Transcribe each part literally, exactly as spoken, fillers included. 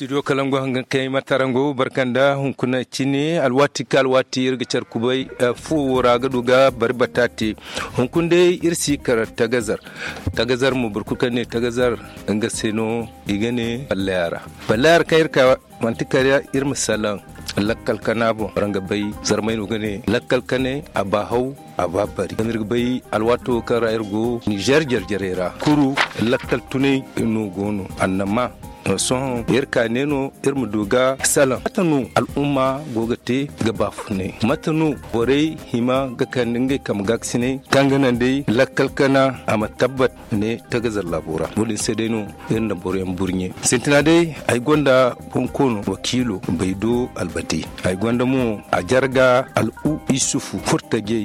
Studio kalangu hangan kaŋ ay ma tara ngo barkanda hunkuna cine alwaati ka alwaati iri ga care kubay. Fuwo wo ra ga du ga bari bataate. Hunkuna day iri si kar tagazar tagazar mo boro kulu kaŋ ne tagazar nga se no i ga ne ballayara ballayara kaŋ iri ka manti kar iri ma salaŋ lakkal kana boŋ waraŋ ga bay zarmay no ga ne lakkal kanay a ba haw a ba bari zama iri ga bay alwaato kaŋ ra iri go nizer jarjarey ra kuru lakkal tunay no go no annama. Sohõ iri ka ne no iri ma du ga salaŋ mate no al'umma go ga te ga baafunay mate no borey hima ga kande ngey kambe gaakasinay kaŋ ga naŋ day lakkal kana a ma tabbat ne tagazar laabo ra wo- din se day no iri na boroyaŋ burɲe sintina day ay gonda bonkoono wakiilo baydo albati ay gonda mo a jarga al'u isufu furtajey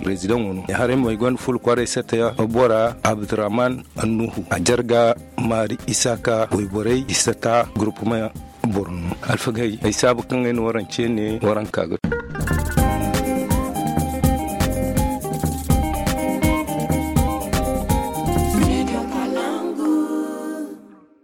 prezidaŋo no haray mo ay gonda ful kwaray sata bora abdurrahman annuhu a jarga maari isaka wayborey isata gurupuma borno alfagay ay saabu kaŋ ay na waraŋ ce ne waraŋ ka ga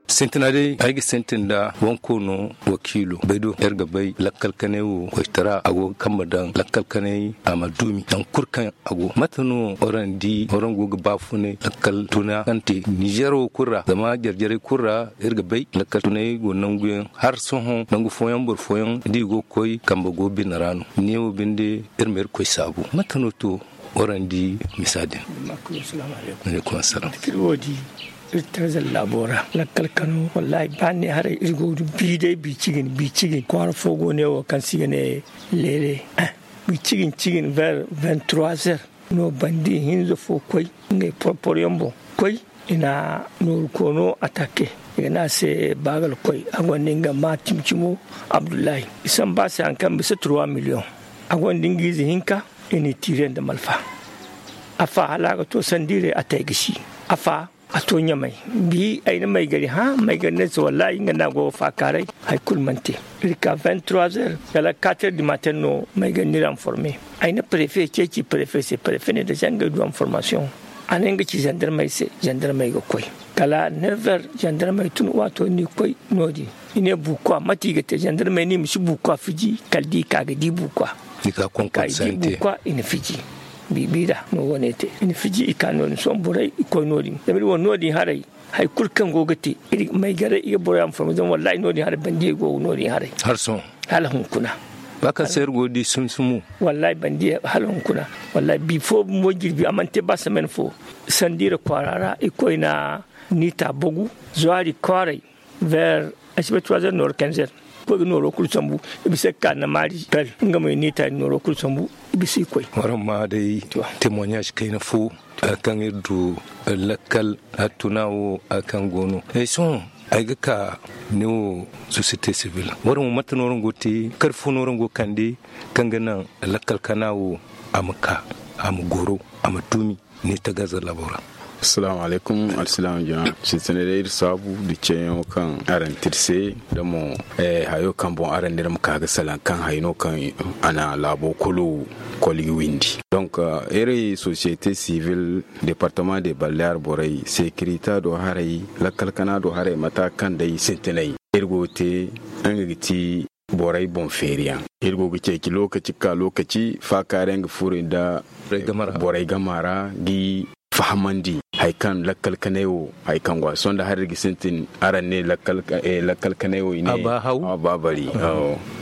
sintina day ay ga sintin nda wankoono wakiilo bay do iri ga bay lakkal kanay wo koytara a go ga kambe daŋ lakkal kanay a ma dumi naŋ kulu kaŋ a go mate no waraŋ di waraŋ go ga baafunay lakkal tuna kaŋ te nizer wo kulu ra zama jarjarey kulu ra iri ga bay lakkal tunay go nanguyaŋ har sohõ nangu fooyaŋ boro fooyaŋ da i go ga koy kambe go bine ra no neewo binde iri ma irkoy saabu mate no to waraŋ di misa din. Alaikum assalam. Iri wo di iri tarzal laabo ra lakkal kano wallahi ba ne haray iri go ga du bi day bi cigin bi cigin kwaara fo go ne wo kaŋ se i ga ne leele bi cigin cigin ver vingt trois heures no bandi hinza fo koy ngey porpor yaŋ boŋ koy i na nooru koono atake i ga ne a se baagal koy a gonda nga ma cimi cimo abdullahi i samba a se hari kaŋ bisa trois million a gonda nga ize hinka i n'i tiire nda malfa afa hala a ga to sandiiray a te ay ga si afa a to ɲamay bi ay na maygari hã maygari ne se wallahi nga no a go ga faakaaray hari kulu mana te iri ka vingt trois heures kala quatre heures du matin no maygari n'iri informe ay na prefe ceeci prefe se prefe ne da se ngey du information a ne nga ci zandarmey se zandarmey ga koy kala neuf heures zandarmey tun waato n'i koy no- din i ne buukwa mate i ga te zandarmey no i ma si buukwa fiji kala da i ka ga di buukwa i na fiji biibi ra no wane te i na fiji i ka no- din sohõ borey i koy no- din zama iri wane no- din haray hari kulu kaŋ go ga te iri maygaray i ga boroyaŋ forme zama wallahi no- din haray bandiyey go no- din haray hala hunkuna ba kaŋ se iri go ga di sumsumu wallahi bandiyey hala hunkuna wallahi bi fo bumbo jirbi a mana te ba semaine fo sandiira kwaara ra i koy na niita bagu zwaari kwaaray ver asibatroizer nooro kanzer koy ga nooro kulu sambu i bisa ga ka na maari per nga mo i niita nooro kulu sambu i bisa i koy waraŋ ma day témoignage kayna fo kaŋ iri du lakkal hattuna wo kaŋ go no ay sohõ ay ga ka ne wo société civile waraŋ wo mate no waraŋ go te kar fo no waraŋ go kande kaŋ ga naŋ lakkal kana wo a ma ka a ma goro a ma dumi ne tagaza labo ra. Assalamu alaikum alsilaam jama sintina day iri saabu da ceeyaŋo kaŋ araŋ te iri se da mo hayo kaŋ boŋ araŋ ne iri ma ka ga salaŋ kaŋ hay no kaŋ a na laabo kulu koli ga windi donc iri société civile département de balleer borey sécurité do haray lakkal kana do haray mata kaŋ day sintinay iri go ga te nga ga ti borey boŋ feeriyaŋ iri go ga ceeci lokaci ga ka lokaci faakaari yaŋ ga furo nda borey gama ra ga i fahamandi hari kaŋ lakkal kanay wo hari kaŋ go a sohõ nda hari iri ga sintin araŋ ne lakkal kanay wo i ne a ba bari.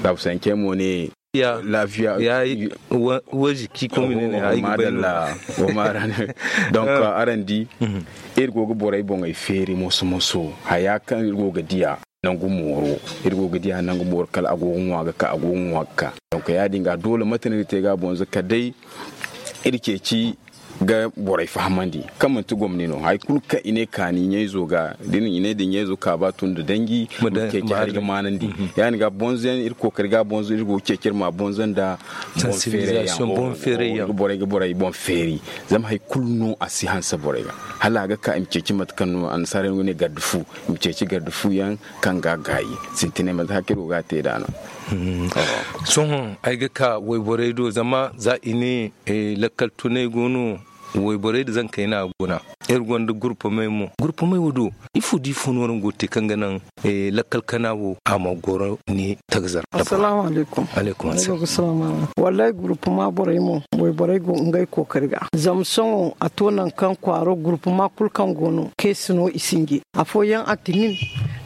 Laabu sancey mo ne laafiya ya waji ki komi ne ne ay ga bay no donc araŋ di iri go ga borey boŋey feeri moso moso haya kaŋ iri go ga diya nangu mooro iri go ga diya nangu mooro kala a go ga ŋwa ga ka a go ga ŋwa ga ka donc ya- din ga doole mate no iri te ga a boŋ za kala day iri ceeci ga borey fahamandi kaŋ manti gomni no hari kulu kaŋ i ne kaani ɲayzo ga da i ne da ɲayzo ka ba tun da danji ma ceeci hari ga maanandi ya- din ga bonzo yaŋ iri kookari ga bonzo iri go ga ceeci iri ma bonzo nda boŋ feeray yaŋ borey ga borey boŋ feeri zama hari kulu no a si hanse borey ga hala a ga ka i ma ceeci mate kaŋ no annasaara yaŋ go ne garde fu i ma ceeci garde fu yaŋ kaŋ ga a gaayi sintinay mate hakka iri go ga a te nd'a no. Sohõ ay ga ka wayborey do zama za i ne lakkal tunay go no wayborey nda zankey no a guna Iri gonda gurpamey mo. Gurpamey wo do, ifo da ifo no araŋ go ga te kaŋ ga naŋ lakkal kana wo a ma goro ne tagazar? Assalaamu alaykum. Alaykum assalam. Wallaahi gurpama borey mo, wayborey go ngey kookari ga. Zama sohõ a to nangu kaŋ kwaaro gurpama kulu kaŋ go no, kaŋ ay si no i sinji. Afooyaŋ a tinin,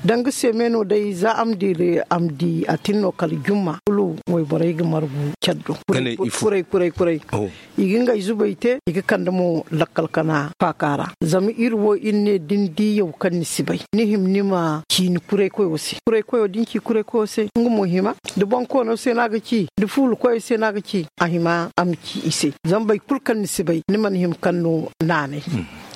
danga seeme no day za a ma di a tin no kala jumma kulu wayborey ga margu care do. Kuray kuray kuray. I ga ngey zubay te, i ga kande mo lakkal kana faaka ra. Zama iri wo iri ne da ni di yaw kaŋ ni si bay, ni hima ni ma ci ni kuraykoyo se. Kuraykoyo da ni ci kuraykoyo se, nga mo hima. Da bonkoono se no a ga ci, da fuula koyo se no a ga ci, a hima a ma ci i se. Zama boro kulu kaŋ ni si bay, ni mana hima kaŋ no naanay.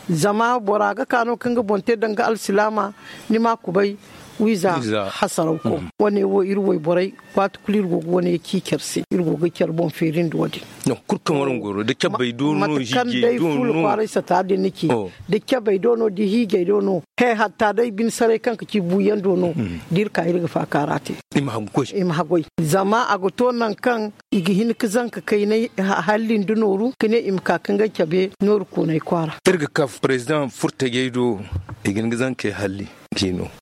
Zama bora ga ka no kaŋ ga boŋ te danga alsilaama, ni ma a kubay wiiza hasaraw ko. Wane wo iri wayborey, waati kulu iri go ga wane ci care se, iri go ga care boŋ feerindi wo- din. Kulu kaŋ waraŋ goro da cabbay do no, mate kaŋ day fuula kwaaray sata din na ci, da cabbay do no da hiijay do no, he hatta day bine saray kaŋ ga ci buuyaŋ do no, da iri ka iri ga faaka ra te. I ma haggoy. Zama a ga to nangu kaŋ i ga hin ga zanka kaynay halli nda nooru ka ne i ma ka ka ngey cabe nooru koonay kwaara. Iri ga ka president furtajey do, i ga hin ga zankey halli.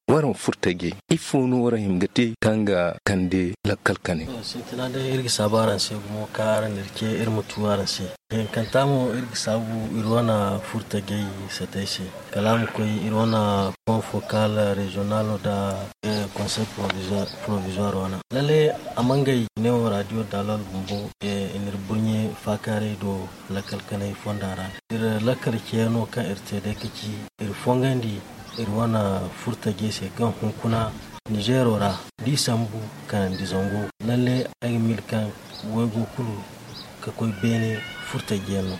Waraŋ furtajey, ifo no waraŋ hima ga te kaŋ ga kande lakkal kanay? Sintina day iri ga saabu araŋ se gumo kaŋ araŋ na iri ce iri ma tu araŋ se. Hinkanta mo iri ga saabu iri wane furtajey satey se, kala a ma koy iri wane point focal regional nda conseil provisoire wane. Lalle a ma ngey ne wo radio dalal bumbo, i na iri burɲe faakaaray do lakkal kanay fonda ra. Iri lakkal ceyaŋo kaŋ iri te day ka ci iri fongandi iri wane furtajey se kaŋ hunkuna Nizeero ra, da i sambu kanandi zango. Lalle ay ga miila kaŋ waygo kulu ka koy beene furtajey yaŋ no.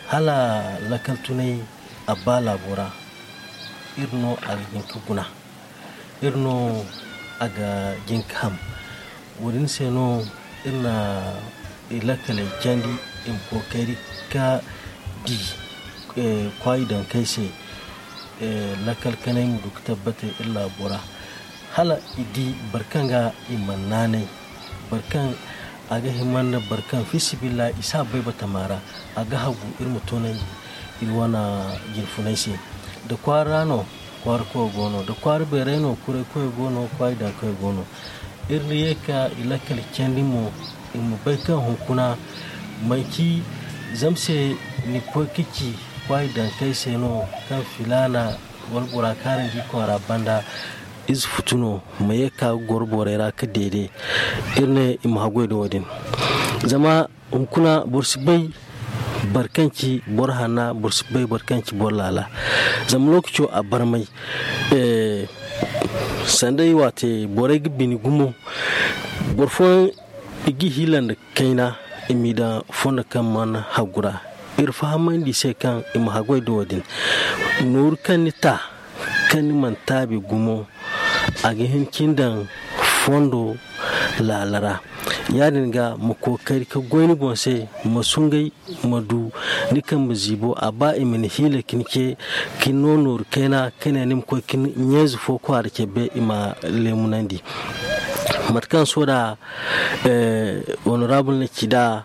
Hala lakkal tunay a ba laabo ra, iri no a ga hin ka guna, iri no a ga jin ka ham. Wo- din se no iri na i lakkaley candi, i ma kookari ka di kwaayi dankey se, lakkal kanay ma du ka tabbate iri laabo ra. Hala i di boro kaŋ ga i mana naanay, boro kaŋ a ga hima nda boro kaŋ fi sabilillahi i si a bay batama ra, a ga hagu iri ma toonandi iri wane jinfunay se. Da kwaara ra no kwaara koyo go no, da kwaara beeray no kuray koyo go no, kwaayi daŋ koyo go no. Iri ye ka i lakkal candi mo, i ma bay kaŋ hunkuna manci zama se ni koy ka ci kwaayi daŋ kay se no kaŋ filaana wala bora kaarandi kwaara banda. Ize futu no ma ye ka ga goro borey ra ka deede. Iri ne i ma haggoy da wo- din zama hunkuna boro si bay boro kaŋ ci boro hanna, boro si bay boro kaŋ ci boro laala. Zama lookaco a barmay. Sanday waate borey ga bini gumo. Boro fooyaŋ i ga i hiila nda kayna i m'i daŋ fondo kaŋ mana haggu ra. Iri fahamandi i se kaŋ i ma haggoy da wo- din. Nooru kaŋ ni ta kaŋ ni mana taabi gumo, a ga hin ka ni daŋ fondo laala ra. Ya- din ga ma kookari ka goy ni boŋ se, ma sungay, ma du ni kambe ziibo. A ba i ma ni hiila ka ni ce ka ni no nooru kayna ka ne ni ma koy ka ni ɲeeze fo kwaara cabbe i ma leemunandi. Mate kaŋ sohõ da honorable na ci nd'a,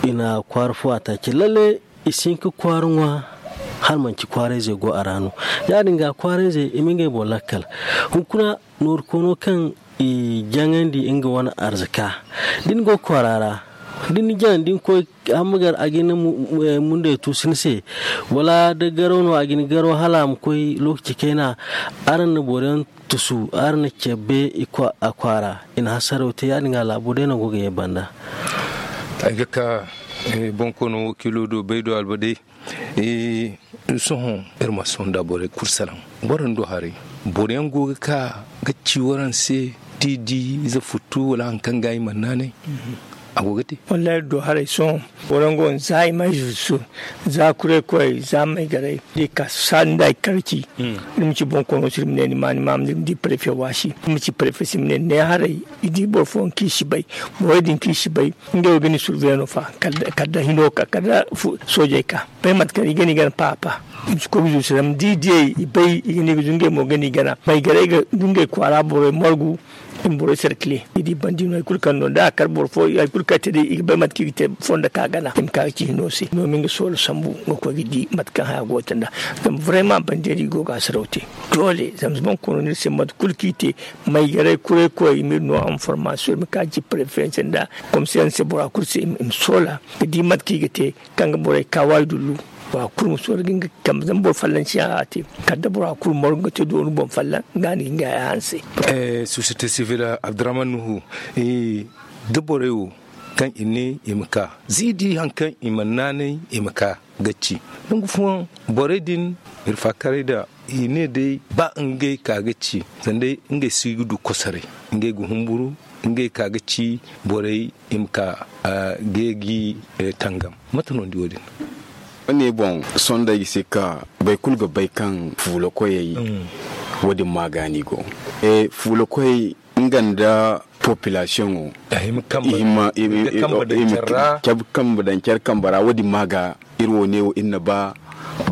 i na kwaara fo a taaci lalle. I si hin ka kwaara ŋwa hala manci kwaarayzey go a ra no. Ya- din ga kwaarayzey i ma ngey boŋ lakkal. Hunkuna nooru koono kaŋ i jaŋandi nga wane arzaka, da ni go kwaara ra, da ni jaŋ da ni koy hammagar a ga ni mundey tuusu ni se, wala da garo no a ga ni garo hala a ma koy lookaci kayna. Araŋ na boro yaŋ tusu, araŋ na cabbe a kwaara, i na hasaraw te. Ya- din ga laabo day no go ga ye banda. Ay ga ka boŋ koono wakiilo do bay do alba day. Sohõ iri ma sohõ nda borey kulu salaŋ. Boro nda haray, boroyaŋ go ga ka ga ci waraŋ se, da i di ize futtu wala hari kaŋ ga i mana naanay. A go ga te. Wallahi iri do haray sohõ, boroyaŋ go no za i ma ize futtu, za kuray koy, za maygaray da i ka saadi nda i karci. Iri ma ci boŋ koono se iri ma ne ni ma ni ma iri ma di prefe waasi, iri ma ci prefe se iri ma ne ne haray. I di boro fooyaŋ kaŋ i si bay, borey din kaŋ i si bay, ngey wo ga ni surveiller no fa kala da hino ka kala da soojey ka bay mate kaŋ i ga ni gana paapa. I ma si koy ga zuusu zama da i diyey i bay i ga ni ga zungay mo ga ni gana maygaray ga ngey kwaara borey margu. I ma borey sarkile i di bandi no hari kulu kaŋ no da a kar boro fo hari kulu kaŋ i te day i ga bay mate kaŋ i ga te fondo ka gana i ma ka ga ci hino se no ma nga soola sambu nga koy ga di mate kaŋ haya go ga te nd'a. Zama vraiment bandi hari i go ga a saraw te doole zama bonkoono no iri se mate kulu kaŋ i te maygaray kuray koy i ma iri no information i ma ka ga ci prefe yaŋ se nda komse yaŋ se bora kulu se i ma soola ga di mate kaŋ i ga te kaŋ ga borey ka waayi dullu. Bora kulu ma soora ga nga kambe zama boro fallanci yaŋ a te kala da bora kulu margu ga te doonu boŋ fallan ga ni ga nga haya hanse. Sosiyete sivil abdurrahman nuhu da borey wo kaŋ i ne i ma ka za i di hari kaŋ i mana naanay i ma ka ga ci nangu fooyaŋ borey din iri faakaray nda i ne day ba ngey ka ga ci sanda ngey si ga du kosoray ngey ga humburu ngey ka ga ci borey i ma ka ga gi tangam mate no ni di wo- din? Wo- ne boŋ sohõ day ga si ga ka boro kulu ga bay kaŋ fuula koyey wo- din ma ga ni go fuula koyey nga nda populasiyoŋo i hima cabe kambe daŋ care kambe ra wo- din ma ga iri wo- ne wo iri na ba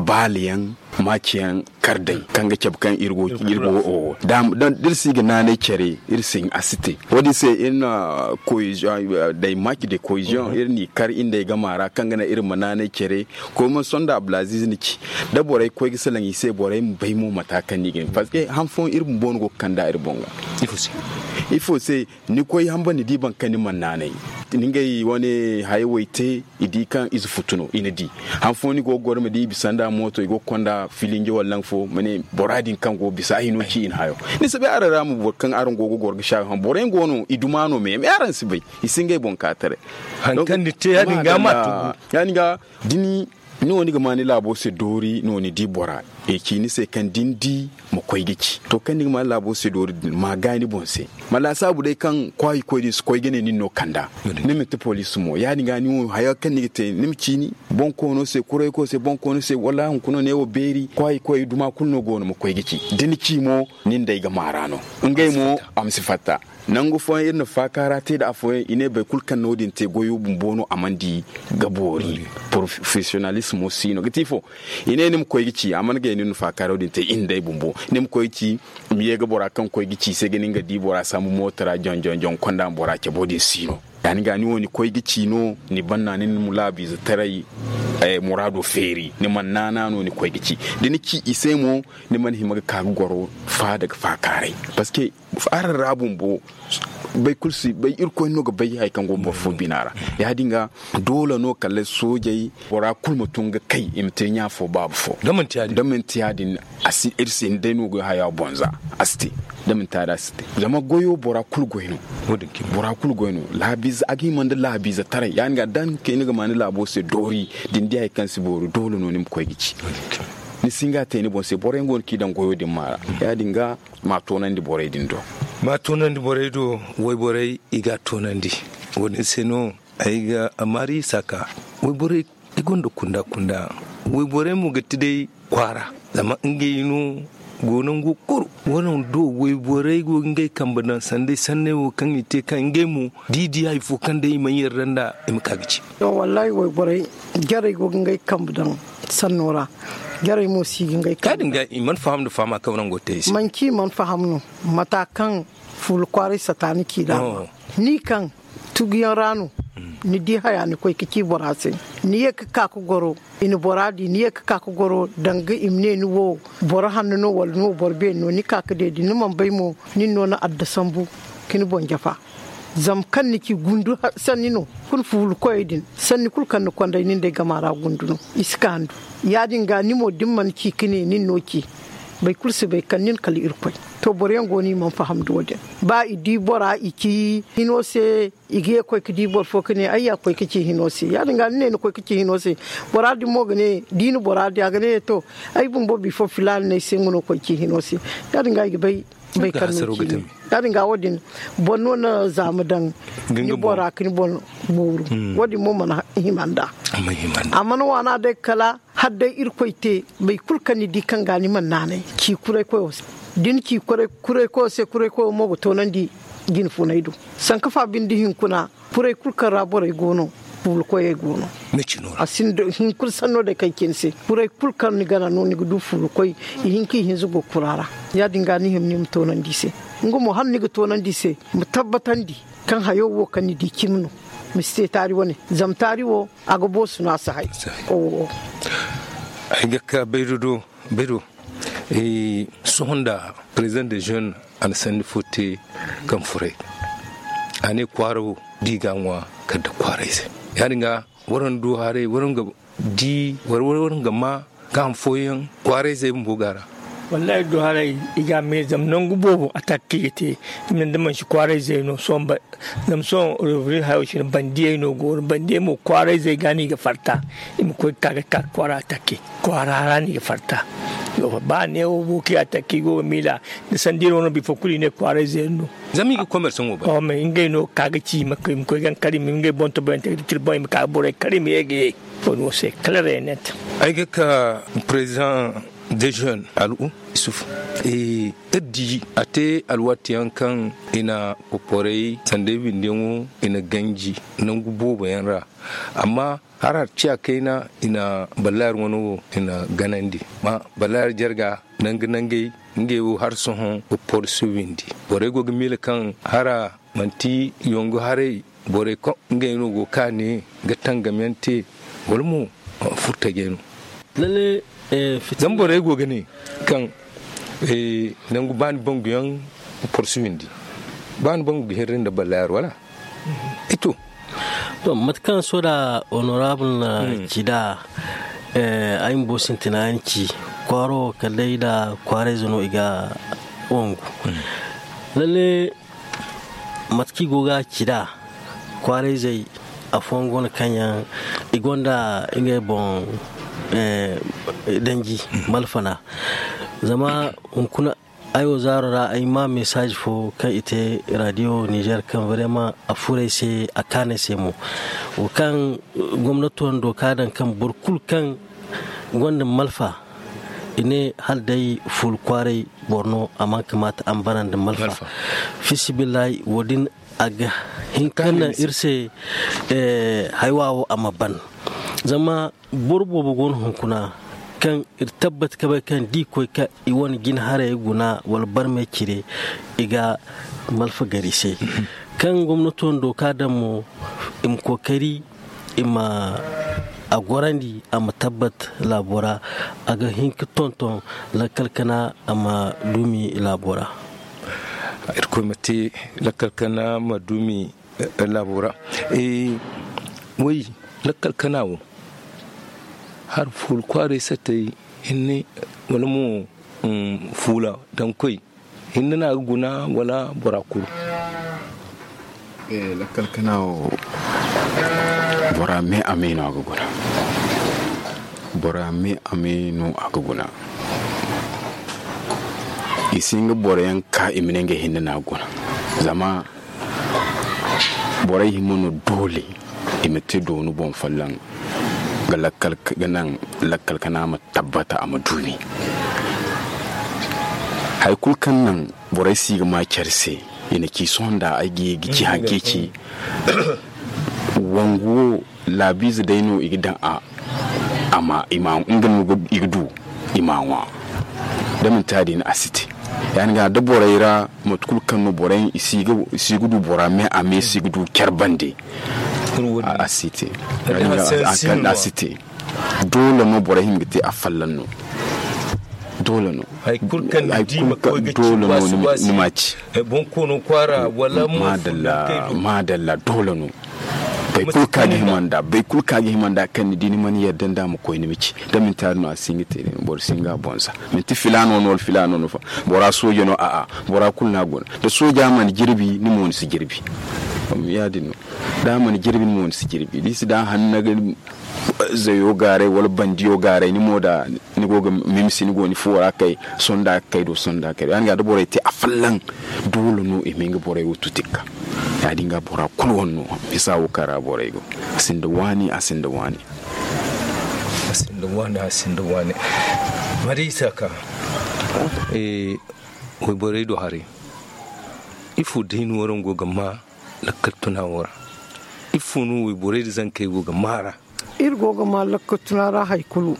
baala yaŋ maaci yaŋ kar day kaŋ ga cabe kaŋ iri go wo- wo- da iri si ga naanay care iri si hin a si te wo- din se iri na koyiziyoŋ day maaci de koyiziyoŋ iri n'i kar iri nd'ey gama ra kaŋ ga naŋ iri ma naanay care koy mana sohõ nda abdulaziiz na ci da borey koy ga salaŋ i se borey ma bay mo mata kaŋ no i ga hin parceque han fooyaŋ iri bumbo no go ga kand'a iri boŋ ga ifo se ni koy hamba ni di boro kaŋ ni mana naanay ni ngey wane hayey wo i te i di kaŋ ize futu no i na di han fooyaŋ ni go ga goro ma di i bisa nda mooto i go ga konda filinje wala nangu fo ma ne bora din kaŋ go ga bisa ay no ci i na hayo ni si bay araŋ ra mo boro kaŋ araŋ go ga goro ga saayo haŋ boro yaŋ go no i duma no me me araŋ si bay i si ngey boŋ ka taray hari kaŋ ni te ya- din ga ma tugu ya- din ga da ni no ni ga ma ni laabo se doori no ni di bora i ci ni se kaŋ da ni di ma koy ga ci to kaŋ ni ga ma ni laabo se doori din ma gaay ni boŋ se ma laasaabu day kaŋ kwaayi koy din si koy ga ne nin no kanda ni ma ti poliisi mo ya- din ga ni wo haya kaŋ ni ga te ni ma ciini boŋ koono se kuray koy se boŋ koono se wala hunkuna ne wo beeri kwaayi koy duma kulu no go no ma koy ga ci da ni ci mo nin day ga maara no ngey mo a ma si fatta nangu fooyaŋ iri na faakaara te nda afooyaŋ i ne boro kulu kaŋ na wo- din te goyo bumbo no a mana di ga boori porofesiyonalismo si no ga te ifo i ne ni ma koy ga ci a mana gay no ni na faakaara wo- din te iri nda ay bumbo ni ma koy ga ci i ma ye ga bora kaŋ koy ga ci i se ga nin ga di bora sambu mooto ra joŋ joŋ joŋ konda ma bora cabe wo- din si no ya- din ga ni wo ni koy ga ci no ni banna ni na laabiize taray muraado feeri ni mana naana no ni koy ga ci da ni ci i se mo ni mana hima ga ka ga goro faada ga faakaaray parceque araŋ ra bumbo bay kulu si bay irkoy no ga bay hari kaŋ go boro fo bina ra ya- din ga doole no kala soojey bora kulu ma tun ga kay i ma te ɲa fo baaba fo da manti ya- din iri si hin day no ga haya boŋ za a si te da manti ya- din a si te zama goyo bora kulu goy no bora kulu goy no laabiize a ga hima nda laabiize taray ya- din ga da ni ga ma ni laabo se doori da ni di hari kaŋ si boori doole no ni ma koy ga ci ni si hin ga a te ni boŋ se boro yaŋ go no kaŋ i daŋ goyo din maara ya- din ga ma a toonandi borey din do ma a toonandi borey do wayborey i ga a toonandi wo- din se no ay ga amaari saaka wayborey i gonda kunda kunda wayborey mo ga ti day kwaara zama ngey no go nango kulu wo- din do wayborey go ga ngey kambe daŋ sanda ay sanney wo kaŋ i te kaŋ ngey mo da i di hari fo kaŋ day i mana yarda nda i ma ka ga ci wallaahi wayborey jarey go ga ngey kambe daŋ sanno ra jarey mo si ga ngey kambe daŋ i mana faham nda fahama kaŋ nango te i se manci i mana faham no mata kaŋ fuula kwaaray sata ni ci daama ni kaŋ tuguyaŋ ra no ni di haya ni koy ga ci bora se ni ye ga ka ga goro i na bora di ni ye ga ka ga goro danga i ma ne ni wo boro hanno no wala ni wo boro beeri no ni ka ga deedi ni mana bay mo nin no na adda sambu ga ni boŋ jafa zama kaŋ ni ci gundu sanni no kulu fuula koyey din sanni kulu kaŋ ni konday nin day gama ra gundu no i si ka handu ya- din ga ni mo da ni mana ci ga ne nin no ci boro kulu si bay kaŋ nin kala irkoy to boro yaŋ go no i mana faham da wo- din ba i di bora i ci hino se i ga ye ga koy ga di boro fo ga ne ay ya ga koy ga ci hino se ya- din ga ni ne ni koy ga ci hino se bora din mo ga ne da i na bora di a ga ne to ay bumbo bifo filaana no ay se nga no ga koy ga ci hino se ya- din ga i ga bay bay kaŋ no ci ne ya- din ga wo- din boro no na zaama daŋ ni bora ga ni boŋ mooru wo- din mo mana hima nd'a a mana waana day kala hala day irkoy te boro kulu kaŋ ni di kaŋ ga ni mana naanay ci kuray koyo se da ni ci kuray koyo se kuray koyo mo ga toonandi jine funay do sanka fa binde hinkuna kuray kulu kaŋ ra borey go no fuula koyey go no a sinda hinkuna sanno day kaŋ ci ni se kuray kulu kaŋ ni gana no ni ga du fuula koy i hinka i hinza go kura ra ya- din ga ni hima ni ma toonandi i se Nga mo hala ni ga toonandi i se, ma tabbatandi kaŋ hayo wo kaŋ ni di cimi no. Ma si te taari wane, zama taari wo a ga boosu no a si hay. Ay ga ka bayru do. Sohõ nda president de jeune a na sanni fo te kaŋ furay. A ne kwaara wo da i ga a ŋwa kala da kwaarayzey. Ya- din ga waraŋ du haray waraŋ ga di waraŋ ga ma gaaham fooyaŋ kwaarayzey bumbo ga a ra. Wallaahi du haray, i ga a me zama nangu boobo a takki ga te. I ma ne da mansi kwaarayzey no sohõ. Zama sohõ revri hayo cine bandiyey no go no bandiyey mo kwaarayzey ga no i ga farta. I ma koy ga ka ga ka kwaara takke kwaara ra no i ga farta. Ba neewo booki a takke i go ga miila. Da sandiro no bifo kulu i ne kwaarayzey no. Zama i ga komersaŋo bay. Ngey no ga ka ga ci i ma koy ga kar i ma ngey boŋ to boyante ga di tira boŋ i ma ka ga borey kar i ma ye ga ye. Wo- din wo se kala reenet. Ay ga ka president de jeune al'u isuf. Iri di a te alwaati yaŋ kaŋ i na kokoray sanda ay binde yaŋo i na ganji nangu boobo yaŋ ra. Amma hara ciya kayna i na ballaari wano wo i na ganandi. Ballaari jarga nangu nangey ngey wo hari sohõ kokoray si windi. Borey go ga miila kaŋ hara manti yongu haray borey kaŋ ngey no go ga ka ne ga tangam yaŋ te wala mo furtajey no. Zama borey go ga ne kaŋ nangu ba ni bangu yaŋ porsu windi ba ni bangu ga hirri nda ballaari wala? Ito. To mate kaŋ soda honorable na ci nd'a ay bumbo sintina yaŋ ci kwaaro kala day nda kwaarayze no i ga wangu. Lalle mate kaŋ i go ga ci nd'a kwaarayzey afooyaŋ go no kaŋ yaŋ i gonda ngey boŋ danji malfana. Zama hunkuna ay wo zaaro ra ay ma mesaaz fo kaŋ i te radio nizer kaŋ vraiment a furo ay se a kaanu ay se mo. Wo kaŋ gomnato na dooka daŋ kaŋ boro kulu kaŋ gonda malfa i ne hala day fuula kwaaray boro no a mana kamaata a ma bara nda malfa. Fiisabilillahi wo- din a ga hin kaŋ naŋ iri se haywa wo a ma ban. Zama boro boobo go no hunkuna kaŋ iri tabbati ka bay kaŋ da i koy ka i wane jina haray guna wala barmay cire i ga malfa gar i se. Kaŋ gomnato na dooka daŋ mo i ma kookari i ma a gorandi a ma tabbat laabo ra. A ga hin ka tonton lakkal kana a ma duumi laabo ra. Irkoy ma te lakkal kana ma duumi laabo ra. Way lakkal kana wo hari fuula kwaaray sattey hinne wala mo fuula daŋ koy hinne no a ga guna wala bora kulu? Lakkal kana wo bora me a me no a ga guna. Bora me a me no a ga guna. I si nga boro yaŋ ka i ma ne ngey hinne no a ga guna. Zama borey hima no doole i ma te doonu boŋ folloŋ ga lakkal ga naŋ lakkal kana ma tabbata a ma duumi. Hari kulu kaŋ naŋ borey si ga ma care se i na ci sohõ nda ay ga ye ga ci hari kaŋ i ci wangu wo laabiize day no i ga daŋ a a ma i ma nga no i ga du i ma ŋwa. Da manti ya- din a si te ya- din ga da borey ra mate kulu kaŋ no borey i si ga du bora me a me si ga du care bande. A si te a si te. Doole no borey hima ga te a folloŋ no. Doole no. Doole no ni ma ci. Madalla madalla doole no. Bay kulu ka ga hima nda bay kulu ka ga hima nda kaŋ ni di ni mana yadda nda ma koy ni ma ci da minti hari no a si nga te boro si nga bonza. Minti filano no wala filano no fa bora sooja no a'a bora kulu no a guna. Da sooja mana jirbi ni mo ni si jirbi. Ya- din no da a mana jirbi ni mo ni si jirbi da i si da hanna ga zayo gaaray wala bandiyo gaaray ni mo da ni go ga mimsi ni go ni fuwo ra kay sonda ga kay do sonda ga kay do ya- din ga da borey te a folloŋ. Doole no i ma nga borey wo tutikka. Ya- din ga bora kulu wane no bisa wo kaŋ ra borey go. A sinda waani a sinda waani. A sinda waani a sinda waani. Mari isa ka wayborey do haray. Ifo day no waraŋ go ga ma lakkal tuna wo ra? Ifo no wayborey da zankey go ga ma ra? Iri go ga ma lakkal tuna ra hari kulu.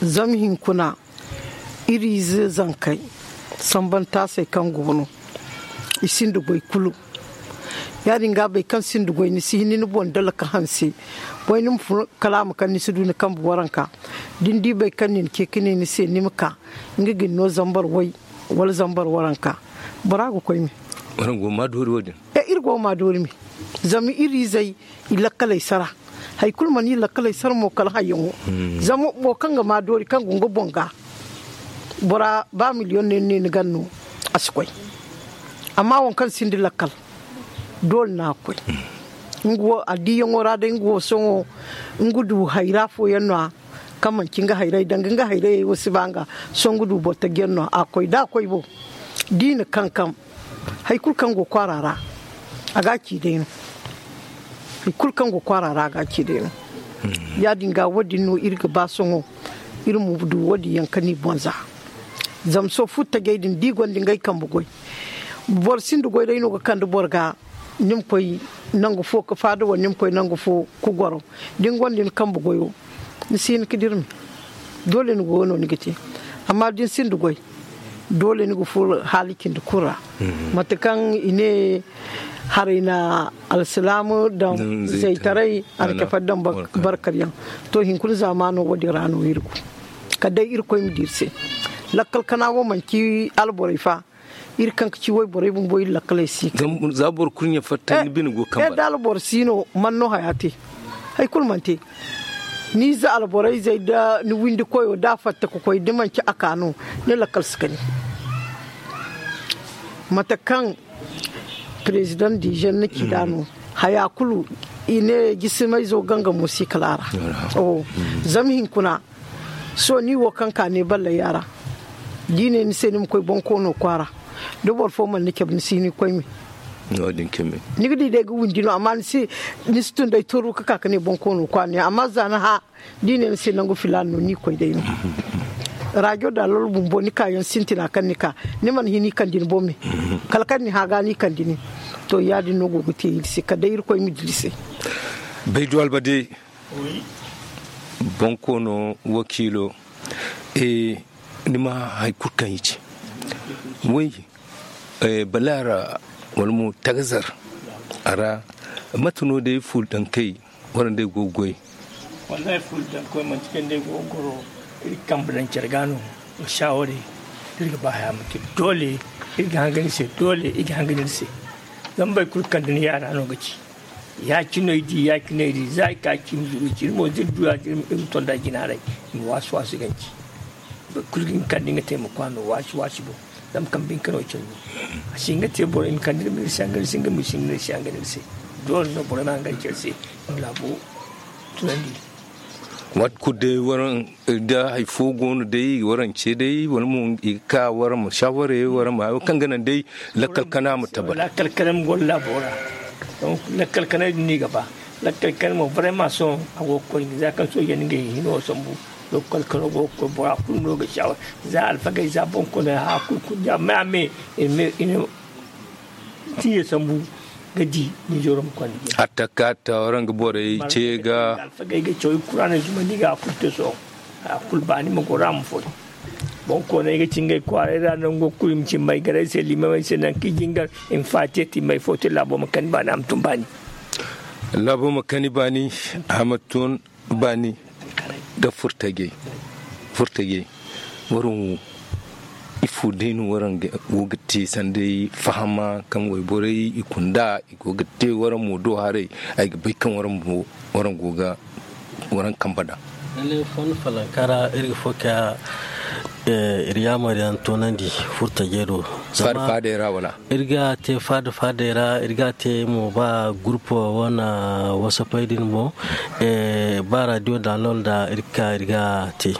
Zama hinkuna iri ize zankey sambantaasey kaŋ go no I sinda goy kulu. Ya-din ga, boro kaŋ sinda goy, ni si hin ni boŋ dala ka hanse. Boy ni ma fun kala a ma kaŋ ni si du ni kambe waranka. Da ni di boro kaŋ na ni ce ka ne ni se ni ma ka, nga ga ni no zambar way wala zambar waranka, bora ga koy me. Waraŋ go ga ma doori wo-din. E, iri go ga ma doori me. Zama iri izey, i lakkaley sara. Hari kulu mana iri lakkaley sara mo kala hayyaŋo. Zama boro kaŋ ga ma doori kaŋ go nga boŋ ga, bora ba miliyoŋ no ni ne ni gan no, a si koy. Amma waŋ kaŋ sinda lakkal, doole no a ga koy. Nga wo addiyaŋo ra day, nga wo sohõ, nga du hayra fooyaŋ no-ya kaŋ manci nga hayrey, danga nga hayrey wo si ba nga. Sohõ nga du boro taji yaŋ no a ga koy da a koy bo. Da i na kankam, hari kulu kaŋ go kwaara ra, a ga a ci day no. Hari kulu kaŋ go kwaara ra, a ga a ci day no. Ya-din ga, wo-din no iri ga ba sohõ, iri ma du wo-din yaŋ ka ni boŋ za. Zama sohõ furtajey din da i gonda ngey kambe goy, boro sinda goy day no ga kande boro ga. Ni ma koy nangu fo ka faada wala ni ma koy nangu fo ka goro, da ni gonda ni kambe goyo, ni si hin ka dira me. Doole ni goyo no ni ga te. Amma da ni sinda goy, doole ni ga furo haali cindi kulu ra. Mate kaŋ i ne, haray na alsilaama daŋ zaytaray, alcafari daŋ barkar yaŋ. To, hunkuna zaamaano wo-din ra no iri go. Kala day Irkoy ma di iri se. Lakkal kana wo manci alborey fa. Iri kaŋ ga ci wayborey bumbo, iri lakkaley si ga. Za boro kulu ɲa fatta, ni bine go kambe ra. Da alboro si no, man no haya te? Hari kulu mana te. Ni ize alborey zey da ni windi koyo, da a fatta ka koy, da manci a ka no, ni lakkal si kani. Mate kaŋ perezidaŋ dizeer na ci nd'a no, haya kulu, i ne jisimayzo gangamo si kala a ra. Zama hunkuna, sohõ ni wo kaŋ ka ne balley a ra, da i ne ni se ni ma koy bonkoono kwaara, da boro fo mana ni cabe, ni si hin ni koy me. Ni ga di day ga windi no, amma ni si tun day toro ka ka ka ne bonkoono kwaara ne, amma za ni hã, da i ne ni se nangu filaana no, ni koy day no. Rajo da lolo bumbo, ni kaayaŋ sintina kaŋ ni ka, ni mana hin i kande ni boŋ me. Kala kaŋ ni hã ga ni kande ni. To, ya-din no go ga te iri se, kala day Irkoy ma di iri se. Baydu Albade, bonkoono wakiilo, ni ma hari kulu kaŋ i ci. Way, balaara wala mo tagazar a ra, mate no day fuldankey waraŋ day go ga goy? Wallahi, fuldankey manti kaŋ day go ga goro, iri kambe daŋ care ga no, ga shaawarey, iri ga ba haya ma te doole, iri ga hangan iri se doole, iri ga hangan iri se. Zama boro kulu kaŋ da ni yaada no ga ci. Ya-cine ay di, ya-cine ay di, za ay ka cimi zuru ci, iri mo da iri du ya-din, iri ma tonda jina haray, i ma waasi-waasi ganji. Boro kulu ga hin kala da nga te ma kwaano waasi-waasi boŋ. Zama kambe hinka no cindi. A si hin ga te boro i ma kande iri ma iri se hangan iri se, nga mo i si hin ga iri se hangan iri se. Doole no boro ma hangan care se, i ma laabo tunandi. Waati kulu day waraŋ da hari fo go no day, i ga waraŋ ce day, wala mo i ga ka waraŋ ma shaawarey, waraŋ ma hayo kaŋ ga naŋ day lakkal kana ma tabbat. Lakkal kana ma goro laabo ra. Donc, lakkal kana din no i ga ba. Lakkal kana mo vraiment sohõ a go ga koy, za kaŋ sooje na ngey hino sambu. Lakkal kana go ga koy, bora kulu no ga shaawa. Za alfagey, za boŋkooney, haya kulu kulu da me a me, i na tiye sambu ga di. Ni jooro ma konda jina. Hatta ka ta waraŋ ga borey ce ga. Alfagey ga caw, i kuraaney zumandi ga a kulu te sohõ. A kulu baani ma goro a ma foy. Boŋkooney ga ci ngey kwaaray ra nango kulu, i ma ci may garay se, liimamey se, nangu kaŋ i jingar, i ma faatiya te, may fo te, laabo ma kani baani, a ma tun baani. Laabo ma kani baani, a ma tun baani. Da furtajey, furtajey, waraŋ wo, ifo day no waraŋ go ga te sanda ay fahama kaŋ wayborey i kunda, i go ga te waraŋ mo do haray, ay ga bay kaŋ waraŋ mo, waraŋ go ga waraŋ kambe daŋ. Lalle, fonda falanka ra, iri ga fo ka, eh, iri yaamar yaŋ toonandi furtajey do. Zama faada-faadey ra, wala? Iri ga te faada-faadey ra, iri ga te mo ba groupe wane WhatsAppey din mo, eh, ba radio download da iri ka iri ga te.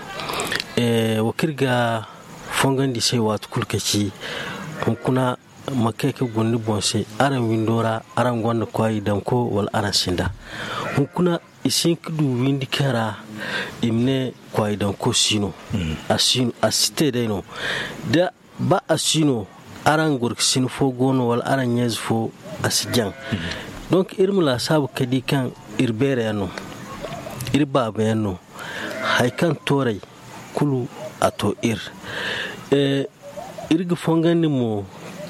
Eh, wo kaŋ iri ga fongandi se waati kulu ka ci, hunkuna ma kay ka guna ni boŋ se, araŋ windo ra, araŋ gonda kwaayi danko wala araŋ sinda? Hunkuna i si hin ka du windi kaŋ ra i ma ne kwaayi danko si no. A si no, a si te day no. Da ba a si no, araŋ gorkasin fo go no, wala araŋ ɲeezi fo, a si jaŋ. Donc, iri ma laasaabu ka di kaŋ iri beera yaŋ no, iri baaba yaŋ no, hari kaŋ tooray kulu a to iri. Eh, iri ga fongandi mo,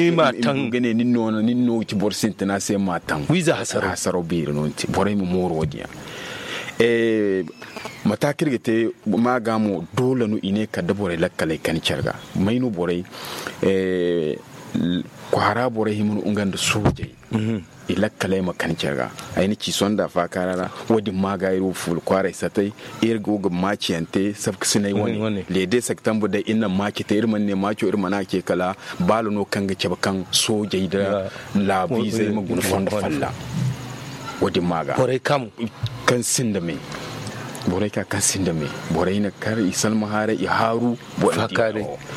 ni ma taŋ ga ne nin no ga ci boro sintina se ma taŋ wiiza hasaro beeri no ni te borey ma mooru wo- din yaŋ. Mata kaŋ iri ga te maaga mo doole no i ne kala da borey lakkaley kani care ga may no borey kwaara borey hima no nga nda soojey i lakkaley ma kani care ga. Ay na ci sonda faakaara ra wo- din maaga iri wo fuula kwaaray satay iri go ga maaci yaŋ te sabkasinay wane leede saktambu day iri na maaci te iri mana ne maaco iri mana a ce kala baalo no kaŋ ga cabe kaŋ soojey nda laabu izey ma guna fondo falla. Wo- din maaga borey kaŋ sinda me borey ka kaŋ sinda me borey na kar i salma haaray i haaru.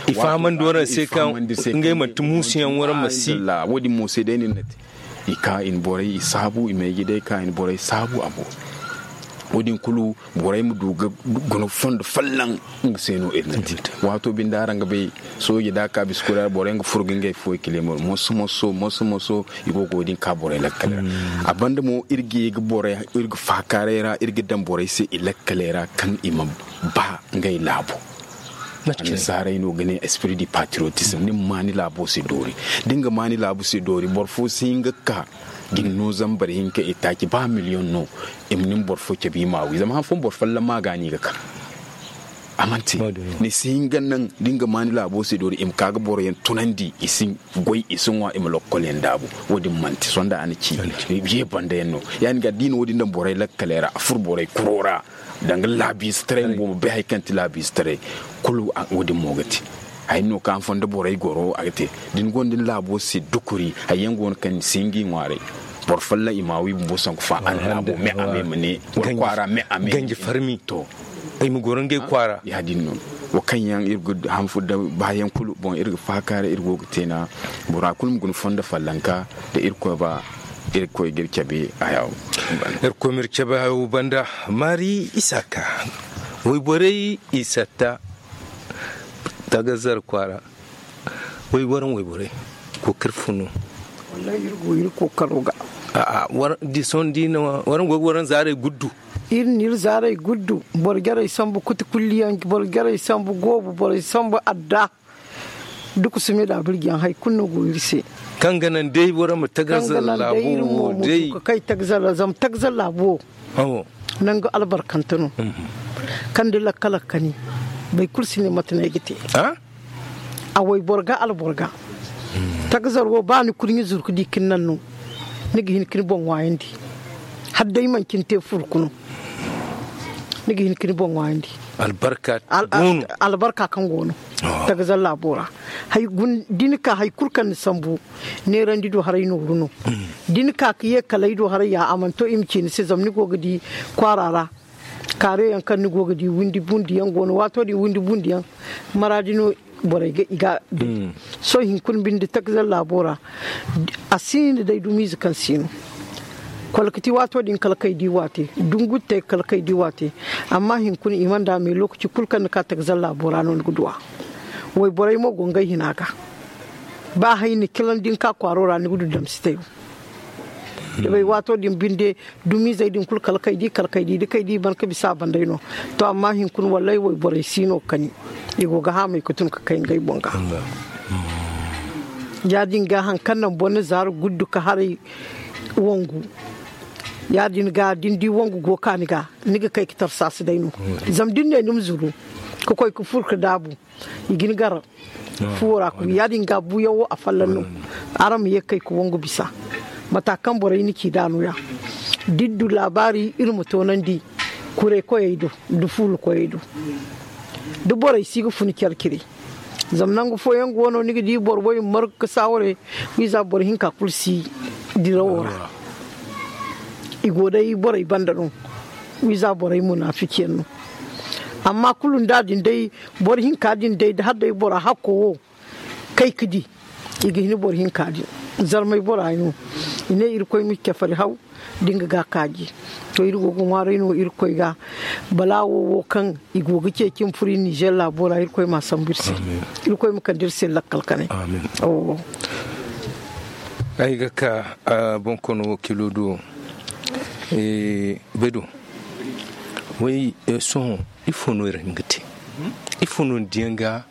I fahamandi waraŋ se kaŋ ngey manti muusuyaŋ waraŋ ma si wo- din mo se day no iri na te i ka i na borey i saabu i ma ay ga day ka i na borey saabu a boori. Wo- din kulu borey ma du ga guna fondo folloŋ. Nga se no iri na te. Waato binde araŋ ga bay, sooji da a ka bisa kuri ra borey ga furo ga ngey fuwey kileemar moso moso moso moso. I go ga wo- din ka borey lakkaley ra. A banda mo iri ga ye ga borey iri ga faakaaray ra iri ga daŋ borey se i lakkaley ra kaŋ i ma ba ngey laabo. Annasaarey no ga ne esprit du patriotisme ni ma ma ni laabo se doori. Da ni ga ma ni laabo se doori boro fo si hin ga ka ga ni no zama boro hinka itaaci ba miliyoŋ no. I ma ni ma boro fo cabe i ma a wi zama han fooyaŋ boro folloŋ ma ga no i ga ka. A mana te. Ni si hin ga naŋ da ni ga ma ni laabo se doori i ma ka ga boro yaŋ tunandi i si goy i si ŋwa i ma lokol yaŋ daabu. Wo- din mana te sohõ da a na ci ye banda yaŋ no. Ya- din ga da i na wo- din daŋ borey lakkaley ra a furo borey kuro ra. Danga laabiize taray bumbo bay hari kaŋ ti laabiize taray. Kulu wo- din mo ga te hari no kaŋ a fondo borey goro a ga te. Da ni gonda ni laabo se dukuri hari yaŋ go no kaŋ ni si hin ga i ŋwaaray. Boro folloŋ i ma a wi bumbo sanku fa a na laabo me a me ma ne boro kwaara me a me ganji farmi to. Ay ma goro ngey kwaara ya- din no. Wo kaŋ yaŋ iri ga hanfu da baayaŋ kulu boŋ iri ga faaka ra iri go ga te na bora kulu ma guna fondo fallanka da irkoy ba. Irkoy ga iri cabe hayo. Irkoy ma iri cabe hayo banda maari isaaka wayborey isatta tagazar kwaara. Way waraŋ wayborey kookari fo no. Wallahi iri go iri kookaro ga. A'a. Di sohõ di no waraŋ go ga waraŋ zaaray guddu. Iri na iri zaaray guddu. Boro jarey sambu kuti kulliyaŋ boro jarey sambu goobu borey sambu adda. Dukusumi da birjiyaŋ hari kulu no go iri se. Kaŋ ga naŋ day boro ma tagazar laabo wo day. Kay tagazar zama tagazar laabo wo nangu albarkante no. Kaŋ da lakka lakka ni boro kulu si ne mate no ay ga te. A wayboro ga alboro ga tagazar wo ba ni kurɲe zuru ga di ka ni naŋ no. Ni ga hin ka ni boŋ ŋwaayandi hala day manci ni te furku no. Ni ga hin ka ni boŋ ŋwaayandi albarka kaŋ go no tagazar laabo ra. Da ni ka hari kulu kaŋ ni sambu neerandi do haray nooru no. Da ni ka ga ye kala ay do haray ya a mana to i ma ci ni se zama ni go ga di kwaara ra. Kaare yaŋ kaŋ ni go ga di windi bundi yaŋ go no waato din windi bundi yaŋ maraadi no. Borey ga i ga day sohõ hinkuna binde takzar laabo ra. A sinda day dumiize kaŋ si no kolkati waato din kala kay di waate dungurtey kala kay di waate. Amma hinkuna i mana da me lokaci kulu kaŋ ni ka takzar laabo ra no ni ga du a. Wayborey mo go ngey hina ga ba hay ni kilan da ni ka kwaaro ra ni ga du damsitey wo. Da bay waato din binde dumiizey din kulu kala kay di kala kay di da kay di ban ga bisa a banday no. To amma hinkuna wallaahi wayborey si no ga kani i go ga haamay ga tun ga kay ngey boŋ ga. Ya- din ga hari kaŋ naŋ boro na zaari guddu ga haray wangu. Ya- din ga da ni di wangu go ga ka ni ga ni ga kay ga tarsaasi day no. Zama da ni ne ni ma zuru ga koy ga furo ga daabu i ga ni gar fuwo ra kulu ya- din ga buuyaŋ wo afolloŋ no. Araŋ ma ye ga kay ga wangu bisa mata kaŋ borey na ci nd'a no- ya da iri du laabaari iri ma toonandi. Kuray koyey do nda fuula koyey do da borey si ga fun care cire. Zama nangu fooyaŋ go no ni ga di boro wo i ma margu ga saaware wiiza boro hinka kulu si dirawo ra. I go day borey banda no wiiza borey munaafici yaŋ no. Amma kulu nda din day boro hinka din day da hala day bora hakko wo kay ga di i ga hin boro hinka din. Zarmay bora no i ne irkoy ma cafari haw da nga ga kaaji. To iri go ga ŋwaaray no irkoy ga balaawo wo kaŋ i go ga ceeci ma furo iri nizer laabo ra irkoy m'a sambu iri se. Irkoy ma kande iri se lakkal kanay. Ay ga ka bonkoono wakiilo do bedo. Way sohõ ifo no iri hin ga te? Ifo no ni diyaŋ ga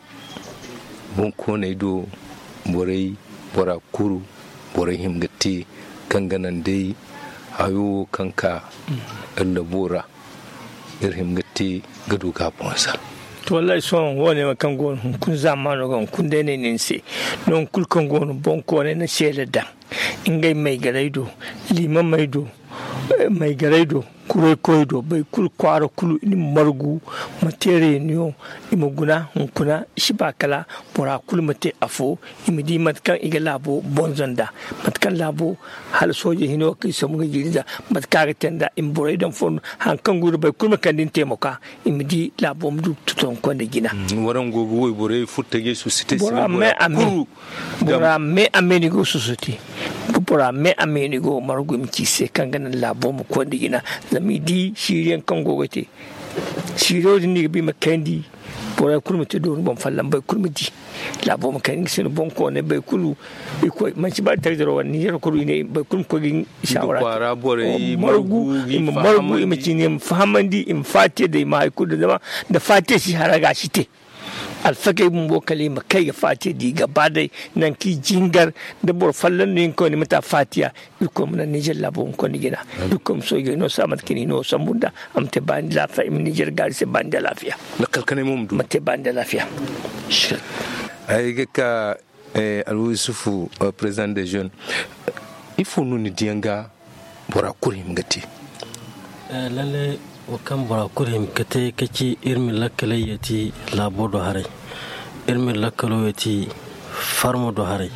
bonkooney do borey bora kuru borey hin ga te kaŋ ga naŋ day hayo wo kaŋ ka iri labo ra iri hin ga te ga du ga a bonza. To wallahi sohõ wo- ne wo kaŋ go no hunkuna zaamaano ga hunkuna day no ay ne ni se nangu kulu kaŋ go no bonkooney na seeda daŋ ngey maygarey do liimamey do maygarey do kuraykoy do boro kulu kwaara kulu i ma margu ma te reeniyoŋ i ma guna hunkuna i si ba kala bora kulu ma te afo i ma di mate kaŋ i ga laabo bonzo nd'a mate kaŋ laabo hala sooje hino kaŋ i sambu ga jiiri nd'a mate kaŋ a ga te nd'a i ma borey daŋ fondo hari kaŋ go no boro kulu ma kande ni te ma ka i ma di laabo ma du totonko nda jina. Waraŋ go ga wayborey furtajey susu te si ne bora me a me ni go susu te. bora me a me no i go ga margu i ma ci i se kaŋ ga naŋ laabo ma koy nda jina. Zama i di siiri yaŋ kaŋ go ga te siiriyo din no i ga ba i ma kayandi. Borey kulu ma te dooni boŋ folloŋ boro kulu ma di. Laabo ma kayandi nga se no boŋ koonay boro kulu. Manci ba da tarzaro wala ninzeero kulu i ne boro kulu ma koy ga i saawara te. Margu i ma margu i ma ci ne i ma fahamandi i ma faatiya day i ma hari kulu daŋ zama nda faatiya si hara ga a si te. Alfakey bumbo kala i ma kay ga faatiya di gaba day. Nangu kaŋ i jingar da boro folloŋ no i ga koy no i ma ta faatiya. Irkoy ma naŋ ninzeer laabo hunkuna jina. Irkoy ma soojey no sa mate kaŋ i na i no sambu nda a ma te baani nda laafiya i ma ninzeer gaari se baani nda laafiya. Ma te baani nda laafiya. Ay ga ka alwa yusufu, président de jeune, ifo no ni diyaŋ ga bora kulu hima ga te? Lalle wo kaŋ bora kulu hima ga te ka ci iri ma lakkaley yeeti laabo do haray. Iri ma iri lakkalo yeeti farmo do haray.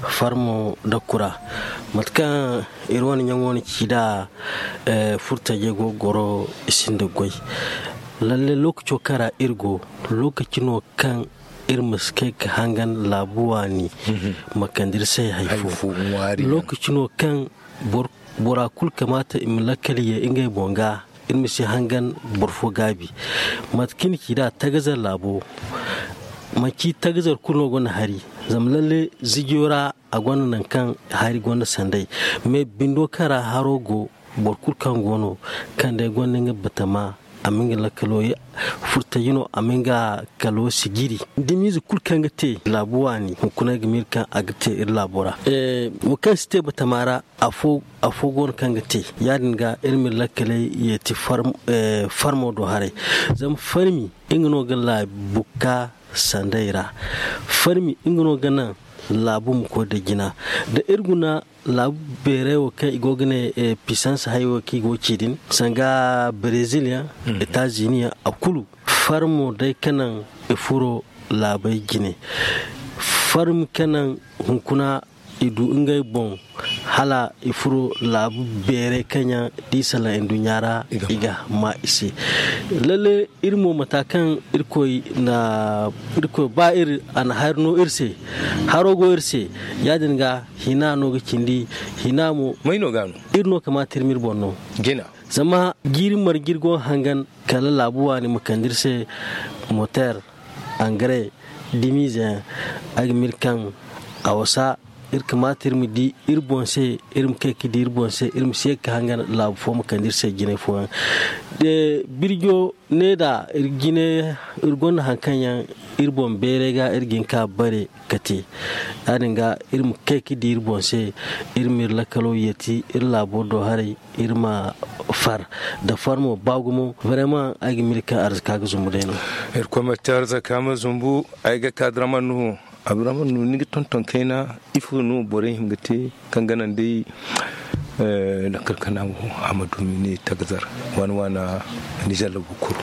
Farmo da kura mate kaŋ iri wane ɲaŋo na ci nd'a. Furtajey go ga goro i sinda goy. Lalle lookaco kaŋ ra iri go lookaci no kaŋ iri ma si kay ga hangan laabu waani ma kande iri se hari fo. Lookaci no kaŋ bora kulu kamaata i ma lakkal ye ngey boŋ ga iri ma si hangan boro fo gaabi. Mate kaŋ i na ci nd'a tagazar laabo manci tagazar kulu no gonda hari. Zama lalle zijiyo ra a gonda nangu kaŋ hari gonda sanday. Mais bindo kaŋ ra haro go boro kulu kaŋ go no kaŋ day gonda nga batama a ma nga lakkalo ye. Furtaji no a ma nga kalo sijiri dimiize kulu kaŋ ga te laabu waani hunkuna ay ga miila kaŋ a ga te iri laabo ra. Wo kaŋ si te batama ra afo go no kaŋ ga te. Ya- din ga iri ma iri lakkaley yeeti farmo do haray. Zama farmi nga no ga laabu ka sanday ra. Farmi nga no ga naŋ laabu ma koy da jina. Da iri guna laabu beeray wo kaŋ i go ga ne pisans hayey wo kaŋ i go ga ci din sanga brezil yaŋ, etazini yaŋ a kulu farmo day ka naŋ i furo laabey jine. Farmi ka naŋ hunkuna i du ngey boŋ hala i furo laabu beeray kaŋ yaŋ da i salaŋ nduɲɲa ra i ga ma i se. Lalle iri mo mata kaŋ irkoy na irkoy ba iri a na hari no iri se. Haro go iri se. Ya- din ga hina no ga cindi hina mo may no ga no iri no kamaata iri ma iri boŋ no. Zama jiiri marje iri go ga hangan kala laabu waani ma kande iri se moteer angare dimiize yaŋ. Ay ga miila kaŋ a wasa iri kamaata iri ma di iri boŋ se. Iri ma kay ga di iri boŋ se iri ma si ye ga ka hangan laabu fo ma kande iri se jinay fooyaŋ. Birjo ne da iri jine iri gonda hari kaŋ yaŋ iri boŋ beeray ga iri ga hin ka bare ka te. Ya- din ga iri ma kay ga di iri boŋ se iri ma iri lakkalo yeeti iri laabo do haray iri ma far da far mo ba gumo. Vraiment ay ga miila kaŋ arzaka ga zumbu day no. Irkoy ma te arzaka ma zumbu. Ay ga ka draman nuhu abraman nuhu ni ga tonton kayna ifo no borey hima ga te kaŋ ga naŋ day lakkal kana wo a ma du ni ne tagazar waana waana. Nizer labu kuru.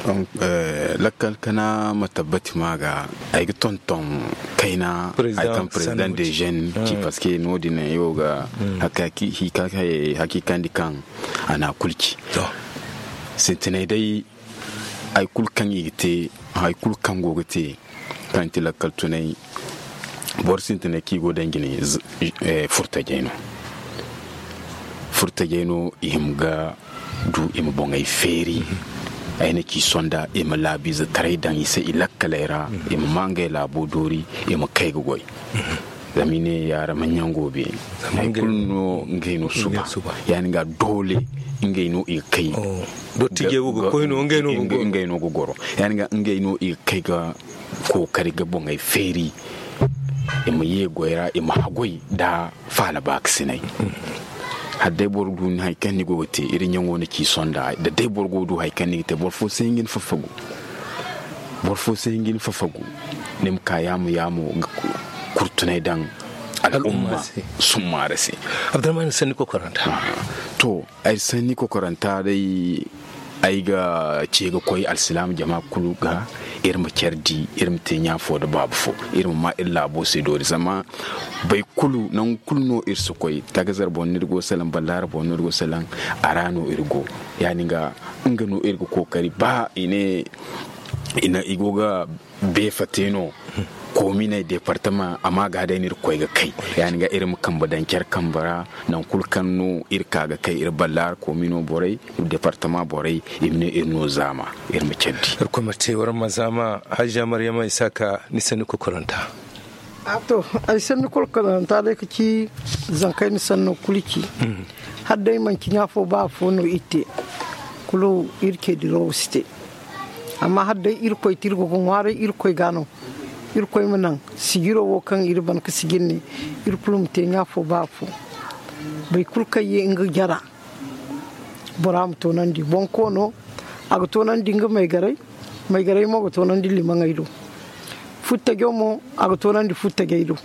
Lakkal kana ma tabbati ma ga ay ga tonton kayna ay kaŋ président de jeune ci parce que no- din ay wo ga hakikandi kaŋ a na a kulu ci. Sintinay day hari kulu kaŋ i ga te hari kulu kaŋ go ga te kaŋ ti lakkal tunay boro sintinay kaŋ i go daŋ jine. Furtajey no furtajey no i hima ga du i ma boŋey feeri. Ay na ci sonda i ma laabiize taray daŋ i se i lakkaley ra i ma maa ngey laabo doori i ma kay ga goy. Zama i ne yaara ma ɲango be hari kulu no ngey no suba. Ya- din ga doole ngey no i ga kay dottijey wo ga koy no ngey no ga goro. Ya- din ga ngey no i ga kay ga kookari ga boŋey feeri i ma ye goy ra i ma haggoy nda faala baakasinay. Hala day boro du ni hari kaŋ ni go ga te iri ɲaŋo na ci sonda da day boro go ga du hari kaŋ ni ga te boro fo si hin ga ni fafagu. Boro fo si hin ga ni fafagu ni ma ka yaamo yaamo ga kurtunay daŋ al'umma summaara se. Abdurrahman sanni kokoranta to ay sanni kokoranta day ay ga ce ga koy alsilaama jama kulu ga iri ma care di iri ma te ɲa fo nda baaba fo iri ma ma iri laabo se doori zama boro kulu nangu kulu no iri si koy tagazar boŋ no iri go salaŋ ballaara boŋ no iri go salaŋ a ra no iri go. Ya- din ga nga no iri ga kookari ba i ne i go ga beefa te no koominey deepartama a ma ga day no iri koy ga kay. Ya- din ga iri ma kambe daŋ care kambe ra. Nangu kulu kaŋ no iri ka ga kay iri ballaari koomino borey, iri deepartama borey, iri ma ne iri no zaama, iri ma care di. Iri koy ma te war ma zaama. Hajja maryama isaaka, ni sanni kokoranta. A to, ay sanni kokoranta day ka ci zankayna sanno kulu ci. Hala day manci ɲa fo ba afo no iri te, kulu iri ce dirawo si te. Amma hala day irkoy te iri go ga ŋwaaray irkoy ga no. Irkoy ma naŋ sijiro wo kaŋ iri ban ga sijir ne, iri kulu ma te ɲa fo ba afo. Boro kulu kaŋ ye nga jara, bora ma toonandi bonkoono. A ga toonandi nga maygaray. Maygaray mo ga toonandi limaŋey do. Futtajo mo a ga toonandi futtajey do.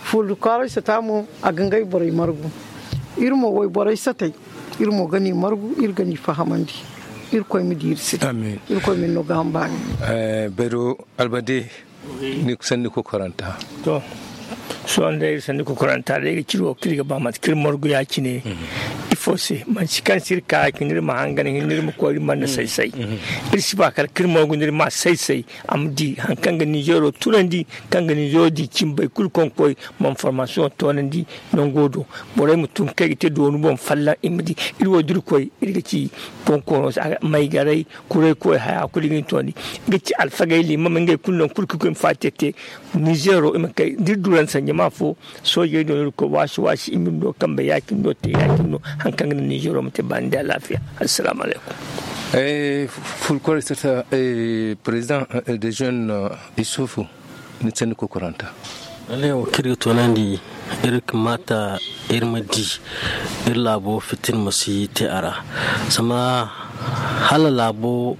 Fulla kwaaray sata mo a ga ngey borey margu. Iri mo wayborey satey, iri mo ga ni margu, iri ga ni fahamandi. Irkoy ma di iri se. Irkoy ma ni no ga hambaani. Bayro albade, ni sanni kokoranta. To, sohõ day iri sanni kokoranta day ga ciri wo kaŋ iri ga ba mate kaŋ iri margu ya- cine. Ifo se manti kaŋ se iri ka ya- cine iri ma hangan hinne iri ma koy iri mana say-say. Iri si ba kala kaŋ iri margu nda iri ma say-say. A ma di hari kaŋ ga ninzeero tunandi, kaŋ ga ninzeero di cine boro kulu kaŋ ga koy ma information toonandi. Nango do borey ma tun kaŋ i ga te doonu boŋ fallaŋ i ma di. Iri wo da iri koy iri ga ci bonkoono se maygaray, kuray koy haya kulu i ga ni toonandi. I ga ci alfagey liimam ngey kulu nangu kulu kaŋ i koy ma faati te. Ninzeero i ma kay da iri duran sanja ma fo. Soojey do no iri koy waasi waasi i ma iri no kambe ya- cine no te ya- cine no. Hari kaŋ ga naŋ ninzeero ma te baani nda alaafiya. Assalaamu alaykum. Fulkoray sata, president de jeune, isufu, ni sanni kokoranta. Lalle wo kaŋ iri ga toonandi, iri ga maata iri ma di iri laabo fitina ma si te a ra. Zama hala laabo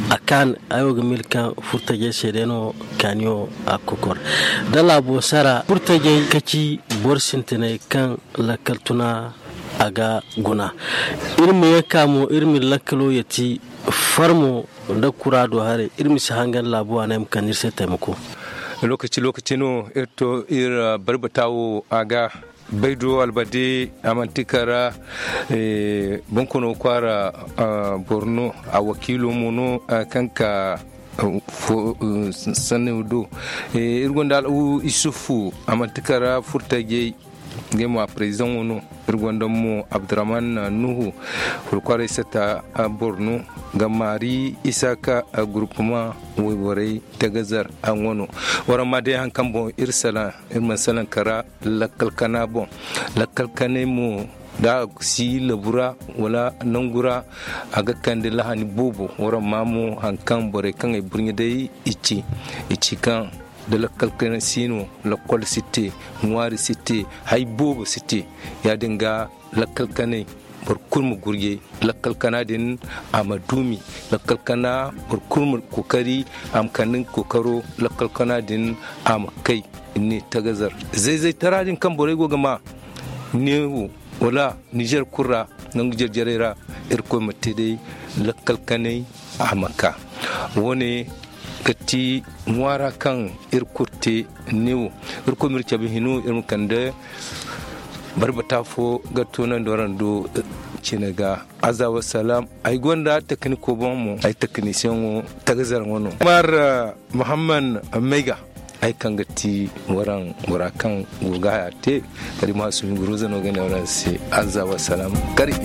a kaan ay wo ga miila kaŋ furtajey se day no kaaniyo a ga kokor da laabo sara furtajey ka ci boro sintinay kaŋ lakkal tuna a ga guna. Iri ma ye ka mo iri ma iri lakkalo yati farmo nda kura do haray iri ma si hangan laabo a no ay ma kande iri se taymako. Lookaci lookaci no iri to iri barbata wo a ga. Baydo albade a manti kara bonkoono kwaara borno a wakiilo mo no kaŋ ka sanni do. Iri gonda al'u isufu a manti kara furtajey. Ngey mo a president wo no. Iri gonda mo abdurrahman nuhu, furkwaray sata borno ga maari isaka groupement wayborey tagazar a ŋwano. Waraŋ ma day hari kaŋ boŋ iri salaŋ iri mana salaŋ kara lakkal kana boŋ. Lakkal kanay mo da a si labu ra wala nangu ra a ga kande lahani boobo. Waraŋ ma mo hari kaŋ borey kaŋ ay burɲe day i ci i ci kaŋ da lakkal kanay si no lakkol si te, ŋwaari si te, hari boobo si te. Ya- din ga lakkal kanay boro kulu ma gurjay lakkal kana din a ma duumi. Lakkal kana boro kulu ma kookari a ma kande nga kookaro lakkal kana din a ma kay. Ni tagazar zayzaytara din kaŋ borey go ga ma neewo wala nizer kulu ra nangu jarjarey ra. Irkoy ma te day lakkal kanay a ma ka. Wo- ne ga ti ŋwaara kaŋ iri kulu te neewo. Irkoy ma iri cabe hino iri ma kande barbata fo ga toonandi waraŋ do. Cine ga aza wasalaam. Ay gonda tekniko boŋ mo ay teknisiyaŋo tagazar ŋo no mar muhammad mayga. Ay kaŋ ga ti waraŋ bora kaŋ go ga haya te kadi ma sumi guruza no ga ne waraŋ se aza wasalaam. Kar i